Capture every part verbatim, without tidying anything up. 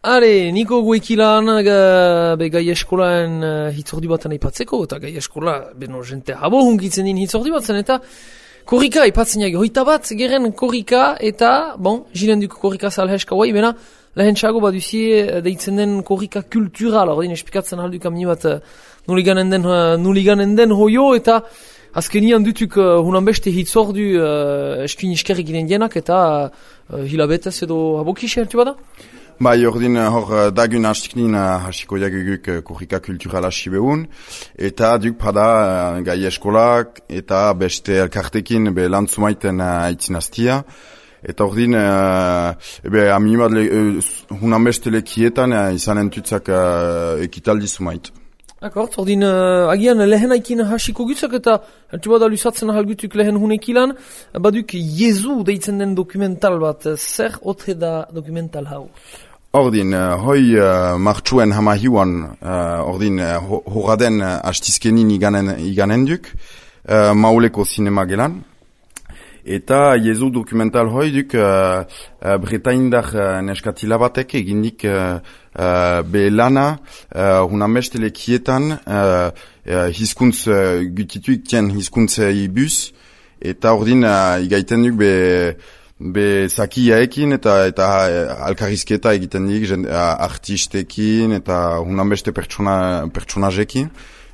Are, niko guekilan uh, be gai eskolaen uh, hitzordi baten aipatzeko, eta gai eskola, beno, jente habo hunkitzen din hitzordi batzen, eta korrika aipatzen jage, hoita bat, geren korrika, eta, bon, jiren duko korrika salheska guai, bena, lehen txago baduzie deitzen den korrika kultural, ordin espikatzen alduk amni bat uh, nuliganen den, uh, nuliganen den hoio, eta azkenian dutuk uh, hunan beste hitzordu uh, eskuin iskerrik ginen dienak, eta uh, hilabetez edo habokixi hartu bada? Bai, ordin hor dagun hastiknin hasiko jaguguk korrika kultural hasi behun, eta duk pada gai eskolak eta beste elkartekin be lan zumaiten haitzin hastia. Eta ordin, ebe aminimat hunan beste lekietan izan entutzak ekitaldi zumait. Akort, ordin uh, agian lehen aikin hasiko gutzak eta hartu bada lusatzen ahalgutuk lehen hunekilan, baduk Jezu deitzen den dokumental bat, zer otre da dokumental hau? Ordin, uh, hoi uh, martxuen hamahiuan, uh, ordin, uh, horaden uh, hastizkenin iganen, iganen duk, uh, mauleko sinema gelan. Eta Jezu dokumental hoi duk uh, uh, Bretaindar uh, neskatila batek egindik uh, uh, be lana uh, hunan beste lekietan uh, uh, hizkuntz uh, gutituik tien hizkuntzei bus, eta ordin uh, igaiten duk be be zakiaekin eta eta alkarrizketa egiten dik artistekin eta hunan beste pertsona, pertsonajekin,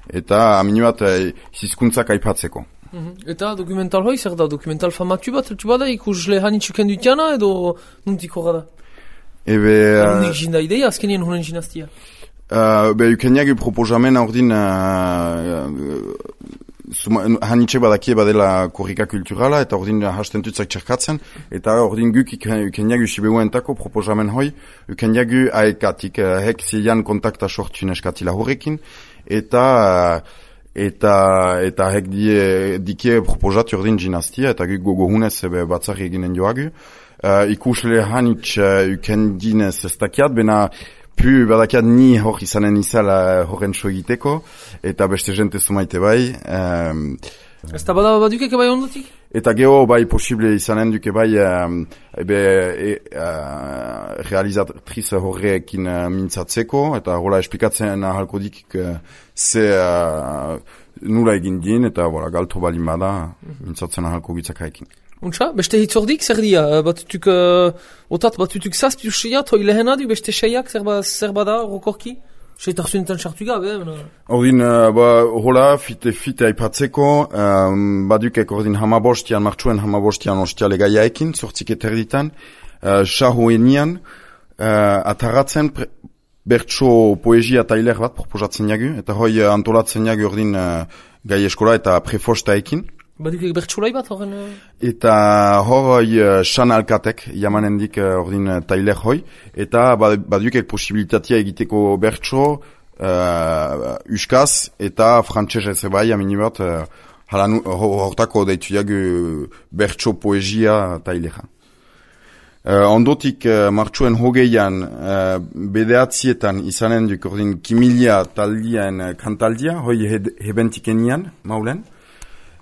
eta amini bat hizkuntzak aipatzeko. Mm-hmm. Eta dokumental hoi zer da? Dokumental famatu bat eltu bada ikusle hanitzuken dutiana edo nuntiko gara? Ebe... Hunik uh, jinda ideia, azkenien hunen jinaztia? Uh, be, ukeniak proposamen ordin... Uh, uh, hanitxe badakie badela korrika kulturala, eta ordin hastentutzak txerkatzen, eta ordin guk ukeniak usibeguentako proposamen hoi, ukeniak aekatik, uh, hek zilean kontakta sortun eskatila horrekin, eta... Uh, eta eta hek die dike proposat ordin ginastia eta guk gogohunez batzarri eginen joagu. Uh, ikusle hanitz uh, ukendinez ez dakiat, bena pu badakiat ni hor izanen izala horren so egiteko, eta beste jente zumaite bai. Um, ez da bada badukeke bai ondotik? Eta geho bai posible izanen duke bai um, ebe e, uh, realizatriz horrekin uh, mintzatzeko, eta hola esplikatzen ahalko dikik uh, ze uh, nula egin din, eta voilà, galto balin bada mintzatzen ahalko gitzakaekin. Untsa, beste hitzordik zer dia? Batutuk, uh, otat batutuk zazpi useiat, hoi lehena du, beste seiak zer, ba, zer bada rokorki? Seitarzunetan sartu gabe, bena? Ordin, uh, ba, hola, fite, fite aipatzeko, um, badukek ordin hamabostian, martxuen hamabostian ostiale gaiaekin, sortzik eterditan, uh, sahoenian, uh, ataratzen pre, bertso poesia tailer bat proposatzen jagu, eta hoi uh, antolatzen jagu ordin uh, gai eskola eta prefostaekin. Badukek bertsolai bat horren? Uh... Eta hor hoi uh, san alkatek jamanendik uh, ordin uh, tailer hoi, eta badukek posibilitatea egiteko bertso uh, uskaz eta frantxez ez bai, amini bat, uh, halan hortako deitu jagu bertso poesia tailera. Uh, ondotik uh, martxuen hogeian uh, bedeatzietan izanen duk ordin kimilia taldien uh, kantaldia, hoi he, hebentikenian maulen.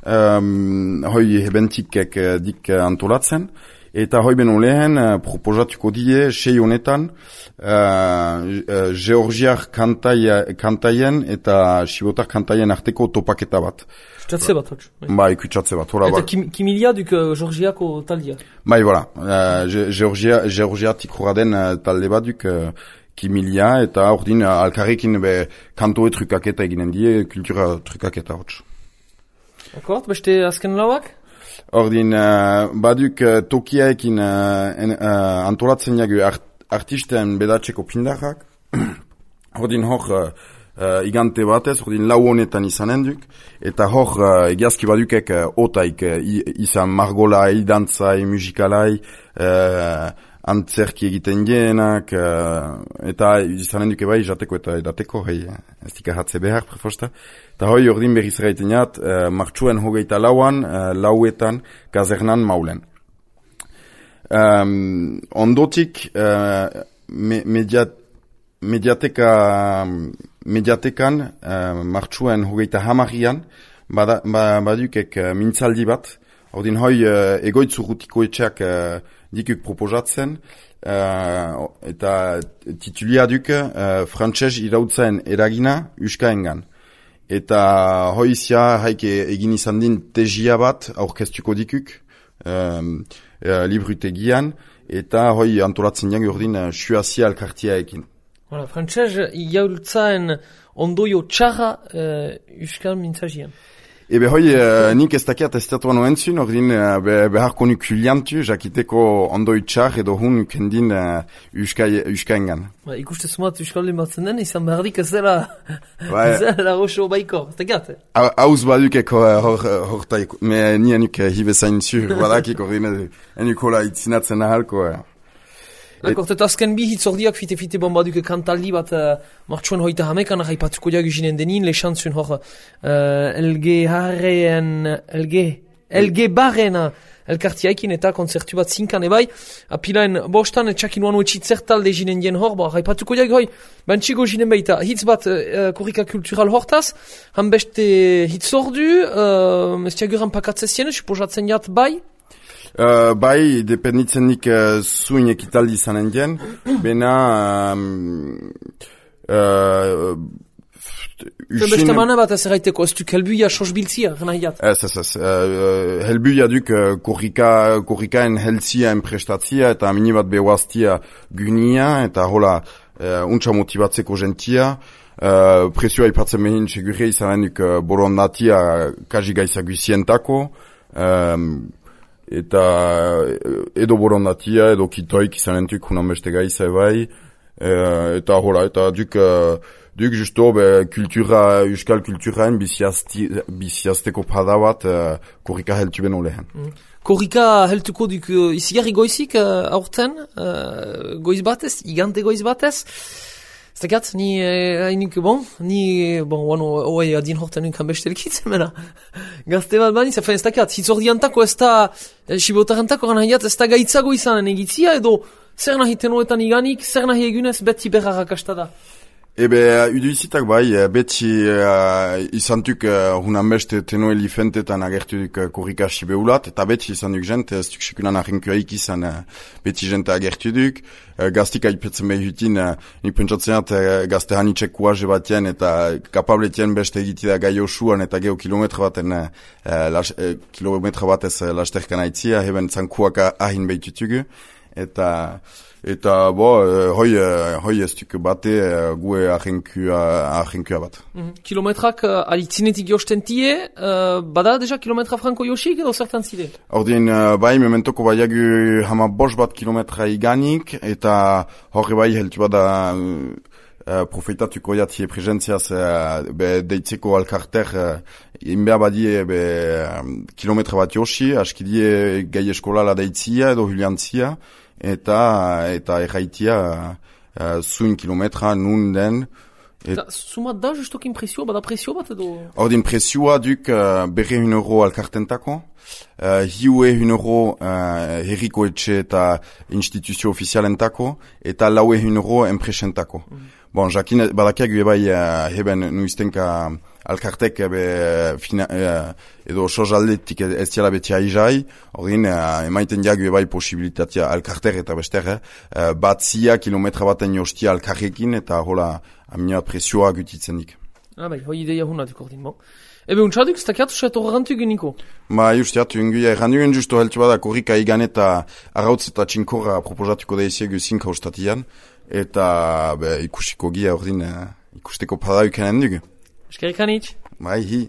Um, hoi hebentikek uh, dik uh, antolatzen, eta hoi beno lehen uh, proposatuko die sei honetan uh, uh, Georgiar kantaia, kantaien eta Sibotar kantaien arteko topaketa bat. Kutsatze bat, hotz? Bai, kutsatze bat. Hola, eta kim, kimilia duk uh, Georgiako taldia? Bai, voilà. Uh, Georgia, Georgiatik horaden uh, talde bat duk uh, kimilia, eta ordin uh, alkarrekin be kantoe trukaketa eginen die, kultura trukaketa hotz. Akort, beste azken lauak? Ordin, uh, baduk uh, tokiaekin uh, en, uh, antolatzen jagu art, artisten bedatzeko pindarrak. Ordin hor uh, uh, igante batez, ordin lau honetan izanen duk. Eta hor uh, egiazki badukek uh, otaik uh, izan margolai, dantzai, musikalai, uh, antzerki egiten dienak, uh, eta izanen duke bai jateko eta edateko, hei, ez dikahatze behar, prefosta. Eta hoi ordin berriz eraiten jat, uh, martxuen hogeita lauan, uh, lauetan, kazernan maulen. Um, ondotik, uh, me, mediat, mediateka, mediatekan, uh, martxuen hogeita hamarian, bada, ba, badukek uh, mintzaldi bat, ordin hoi uh, egoitzu gutiko etxeak uh, dikuk proposatzen, uh, eta titulia duk uh, frantses irautzaen eragina uskaengan. Eta hoizia haike egin izan din tesia bat aurkeztuko dikuk, um, uh, librutegian, eta hoi antolatzen jango urdin uh, suazia elkartia ekin. Voilà, frantses iraultzaen ondoio txarra uh, uskal mintzagian. Ebe hoi, uh, nik ez dakiat ez datuan oentzun, ordin uh, be, beharko nuk juliantu, jakiteko ondoi txar edo hun kendin uh, uskaengan. Ba, ikuste sumat uskalde batzen den, izan behardik ez dela, ez dela roxo baiko, ez dakiat, eh? Hauz badukeko hor, hortaiko, me ni enuk hibezain zu, badakik ordin enuk hola itzinatzen ahalko. Uh. D'accord, eta azken bi hitzordiak fite-fite bombaduke kantaldi bat uh, martxuan hoita hamekan haipatuko diagu jinen denin, lehantzun hor uh, elge harreen, elge, elge barren elkartiaikin eta konzertu bat zinkan ebai, apilaen bostan etxakin uanu etxitzertalde jinen dien hor, ba, haipatuko diagu hoi, bantxigo jinen baita, hitz bat uh, korrika kultural hortaz, han beste hitzordu, uh, ez tiaguran pakatzezien, suposatzen jat bai, Uh, bai, dependitzen nik uh, zuin ekitaldi izanen dien, bena... Um, uh, Beste mana bat ez erraiteko, ez duk helbuia sosbiltzia, gana hiat? Ez, ez, ez. Uh, helbuia duk uh, korrika, korrikaen heltzia enprestatzia eta mini bat behuaztia gynia eta hola uh, untsa motibatzeko gentia. Uh, presioa ipatzen behin segurre izanen duk uh, borondatia kajigaisa guzientako. Um, eta edo borondatia, edo kitoik izanentuk hunan beste gaiza ebai, e, eta hola, eta duk, duk justo be, kultura, euskal kulturaen biziazteko pada bat uh, korrika heltu beno lehen. Mm. Korrika heltuko duk uh, izigarri goizik uh, aurten, uh, goiz batez, igante goiz batez, Ztakat, ni hainik, bon, ni, bon, wano, oai, adin hortan nunkan bestelkitzen, mena. Gazte bat bani, zafen, ztakat, hitzordiantako ez da, sibotarantako gana hiat, ez da gaitzago izanen egitzia, edo zer nahi tenoetan iganik, zer nahi egunez, beti berra rakasta da. Ebe, udu izitak bai, beti uh, izantuk uh, hunan beste tenoe lifentetan agertudik uh, korrika sibeulat, eta beti izantuk jente, ez duk sekunan ahinkuaik izan uh, beti jente agertudik, uh, gaztik aipetzen behutin, uh, nik pentsatzeat uh, gazte hanitxek kuaze batien, eta kapabletien beste egitida gai osuan, eta geho kilometra baten, uh, las, uh, kilometra batez uh, lasterkan aitzia, heben zankuak ahin behitutugu, eta... Eta, bo, hoi, hoi ez duk bate gue ahenkua bat. Mm-hmm. Kilometrak uh, alitzinetik jostentie, uh, bada deja kilometra franko josik edo zertan zide? Ordin, uh, bai, mementoko baiagu hama bos bat kilometra iganik, eta horre bai heltu bada uh, profetatuko jatie presentziaz uh, be deitzeko alkarter uh, inbea badie be um, kilometra bat josi, askidie gai eskola la deitzia edo juliantzia, eta eta erraitia uh, zuin kilometra nun den. Et... Sumat da justokin presioa, bada presio bat edo? Ordin presioa duk uh, berre hun euro alkartentako, uh, hiue hun euro uh, herriko etxe eta instituzio ofizialentako, eta laue hun euro enpresentako. Mm. Bon, jakin badakiagu ebai uh, heben nuiztenka alkartek ebe fina, uh, edo sozaldetik ez diala beti aizai, ordin uh, emaiten diagu ebai posibilitatea alkarter eta bester, uh, batzia kilometra baten jostia alkarrekin eta hola amina presioa gutitzen dik. Ah bai, hoi ideia hunatuk ordin, bon. Ebe untsaduk, ztakiatu seto rantu geniko? Ma justiatu, inguia errandugen justo heltu bada korrika igan eta arrautz eta txinkorra proposatuko da iziegu zinka ustatian, eta be, ikusiko gia ordin uh, ikusteko padauken endugu. Eskerrik anitz. Bai, hi.